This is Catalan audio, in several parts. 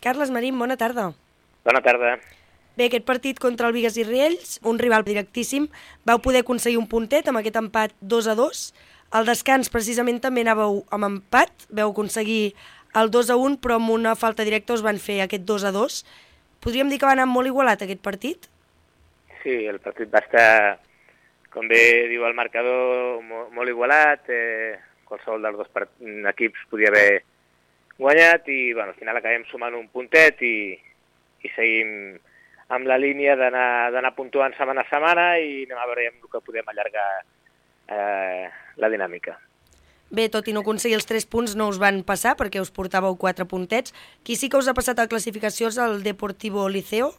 Carles Marín, bona tarda. Bona tarda. Bé, aquest partit contra el Bigues i Riells, un rival directíssim, vau poder aconseguir un puntet amb aquest empat 2-2. Al descans precisament també anàveu amb empat, vau aconseguir el 2-1, però amb una falta directa us van fer aquest 2-2. Podríem dir que va anar molt igualat aquest partit? Sí, el partit va estar, com bé diu el marcador, molt igualat. Qualsevol dels dos equips podia haver guanyat i al final acabem sumant un puntet i seguim amb la línia d'anar puntuant setmana a setmana i anem a veure el que podem allargar la dinàmica. Bé, tot i no aconseguir els 3 punts no us van passar perquè us portàveu 4 puntets. Qui sí que us ha passat a la classificació és el Deportivo Liceo,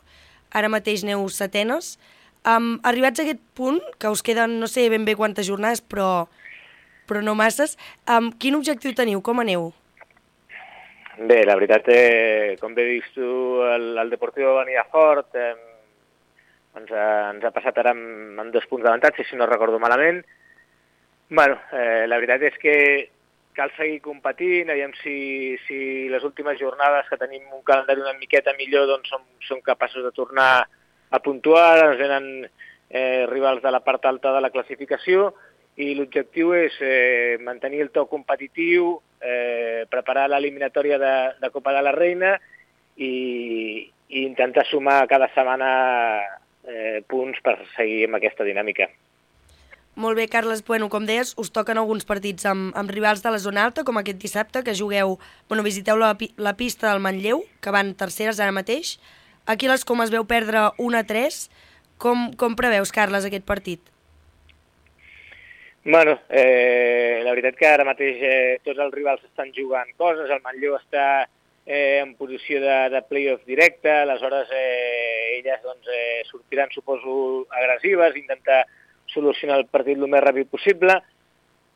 ara mateix aneu setenes. Arribats a aquest punt, que us queden no sé ben bé quantes jornades, però no masses, quin objectiu teniu? Com aneu? Bé, la veritat, com bé dius tu, el Deportivo venia fort, ens ha passat ara amb 2 punts d'avantatge, si no recordo malament. La veritat és que cal seguir competint, aviam si les últimes jornades que tenim un calendari una miqueta millor doncs som capaços de tornar a puntuar, ens venen rivals de la part alta de la classificació i l'objectiu és mantenir el to competitiu, preparar l'eliminatòria de Copa de la Reina i intentar sumar cada setmana punts per seguir amb aquesta dinàmica. Molt bé, Carles. Com deies, us toquen alguns partits amb rivals de la zona alta, com aquest dissabte, que visiteu la pista del Manlleu, que van terceres ara mateix. Aquí a les Comes veu perdre 1-3. Com preveus, Carles, aquest partit? La veritat que ara mateix tots els rivals estan jugant coses, el Manlleu està en posició de play-off directe, aleshores elles sortiran, suposo, agressives, intentar solucionar el partit el més ràpid possible.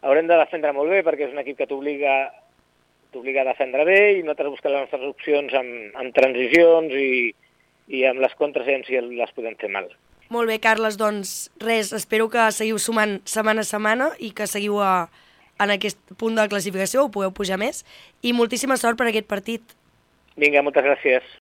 Haurem de defendre molt bé perquè és un equip que t'obliga a defendre bé i nosaltres busquem les nostres opcions amb transicions i amb les contres si les podem fer mal. Molt bé, Carles, doncs res, espero que seguiu sumant setmana a setmana i que seguiu en aquest punt de la classificació, ho pugueu pujar més, i moltíssima sort per aquest partit. Vinga, moltes gràcies.